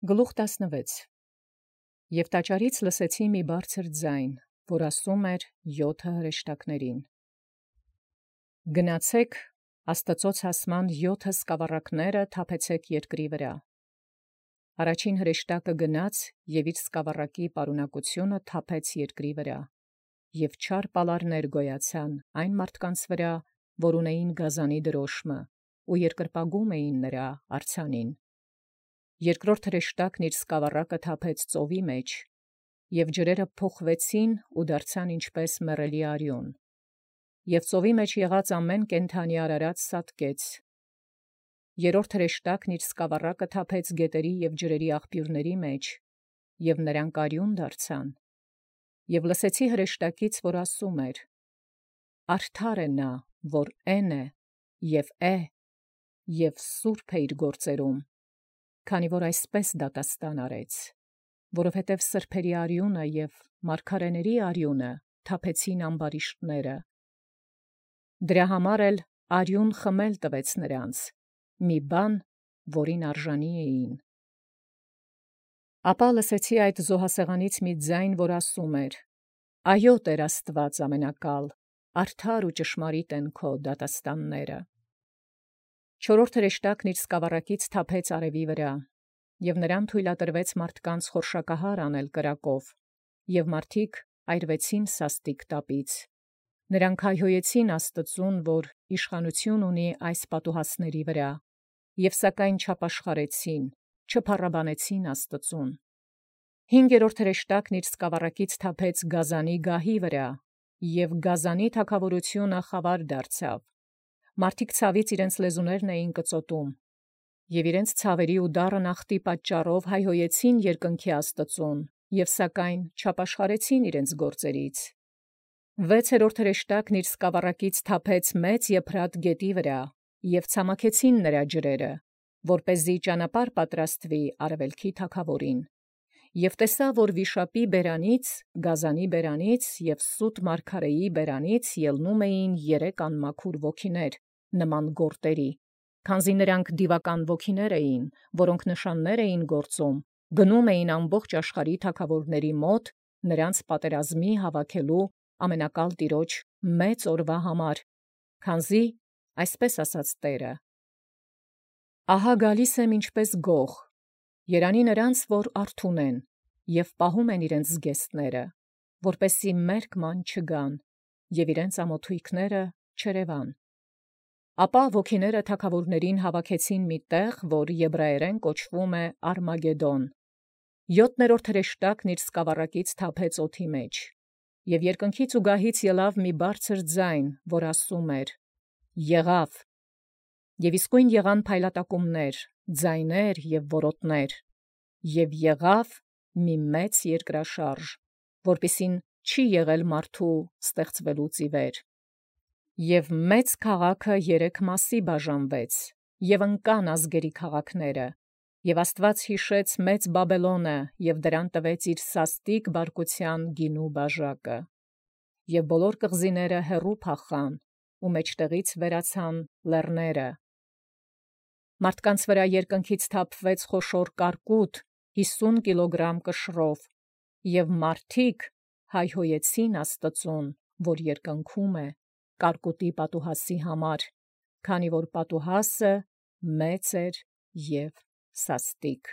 Գլուխ 16 Եւ տաճարից լսեցի մի բարձր ձայն, որ ասում էր 7 հրեշտակներին. Գնացեք Աստծոց հասման 7 սկավառակները թափեցեք երկրի վրա։ Առաջին հրեշտակը գնաց եւ իր սկավառակի պարունակությունը թափեց երկրի վրա, եւ չար պալարներ գոյացան այն մարդկանց վրա, որ ունեին գազանի դրոշմը, ու երկրպագում էին նրա արձանին։ Երկրորդ հրեշտակն իր սկավառակը թափեց ծովի մեջ, եւ ջրերը փոխվեցին ու դարձան ինչպես մեռելի արյուն, եւ ծովի մեջ եղած ամեն կենդանի արարած սատկեց։ Երրորդ հրեշտակն իր սկավառակը թափեց գետերի եւ ջրերի աղբյուրների մեջ, եւ նրանք արյուն դարձան։ Եւ լսեցի հրեշտակից, որ ասում էր. Արդար է նա, որ էն է, եւ է, եւ սուրբ է իր գործերում, քանի որ այսպես դատաստան արեց, որովհետև սրբերի արյունը եւ մարգարեների արյունը թափեցին ամբարիշտները։ Դրա համար էլ արյուն խմել տվեց նրանց, մի բան, որին արժանի էին։ Ապա լսեցի այդ զոհասեղանից մի ձայն, որ ասում էր. Այո, Տեր Աստված ամենակալ, արդար ու ճշմարիտ են քո դատաստանները։ Չորրորդ հրեշտակն իր սկավառակից թափեց արևի վրա, եւ նրան թույլատրվեց մարդկանց խորշակահար անել կրակով, եւ մարդիկ այրվեցին սաստիկ տապից։ Նրանք հայհոյեցին Աստծուն, որ իշխանություն ունի այս պատուհասների վրա, եւ սակայն չապաշխարեցին, չփառաբանեցին Աստծուն։ Հինգերորդ հրեշտակն իր սկավառակից թափեց գազանի գահի վրա, եւ գազանի թագավորությունը խավար դարձավ։ Մարդիկ ցավից իրենց լեզուներն էին կծոտում, եւ իրենց ցավերի ու դառն ախտի պատճառով հայհոյեցին երկնքի Աստծուն, եւ սակայն չապաշխարեցին իրենց գործերից։ Վեցերորդ հրեշտակն իր սկավառակից թափեց մեծ Եփրատ գետի վրա, եւ ցամաքեցին նրա ջրերը, որպեսզի ճանապարհ պատրաստվի արևելքի թագավորին։ Եւ տեսա, որ վիշապի բերանից, գազանի բերանից եւ սուտ մարգարեի բերանից ելնում էին 3 անմաքուր ոգիներ, նման գորտերի, քանզի նրանք դիվական ոգիներ էին, որոնք նշաններ էին գործում, գնում էին ամբողջ աշխարհի թագավորների մոտ, նրանց պատերազմի հավաքելու ամենակալ Տիրոջ մեծ օրվա համար, քանզի այսպես ասաց Տերը. Ահա գալիս եմ ինչպես գող, երանի նրանց, որ արթուն են, եւ պահում են իրենց զգեստները, որպեսզի մերկման չգան, եւ իրենց ամոթույքները չերևան։ Ապա ոգիները թագավորներին հավաքեցին մի տեղ, որ եբրայերեն կոչվում է Արմագեդոն։ Յոթներորդ հրեշտակն իր սկավառակից թափեց օդի մեջ, եւ երկնքից ու գահից ելավ մի բարձր ձայն, որ ասում էր. Եղավ, եւ իսկույն եղան փայլատակումներ, ձայներ եւ որոտներ, եւ եղավ մի մեծ երկրաշարժ, որպիսին չի եղել մարդու ստեղծվելուց ի վեր։ Եւ մեծ քաղաքը 3 մասի բաժանվեց, եւ ընկան ազգերի քաղաքները, եւ Աստված յիշեց մեծ Բաբելոնը, եւ դրան տվեց իր սաստիկ բարկության գինու բաժակը։ Եւ բոլոր կղզիները հեռու փախան, ու մեջտեղից վերացան լեռները։ Մարդկանց վրա երկնքից թափվեց խոշոր կարկուտ 50 կիլոգրամ կշռով, եւ մարդիկ հայհոյեցին Աստծուն, որ երկնքում է, կարկուտի պատուհասի համար, քանի որ պատուհասը մեծ էր եւ սաստիկ։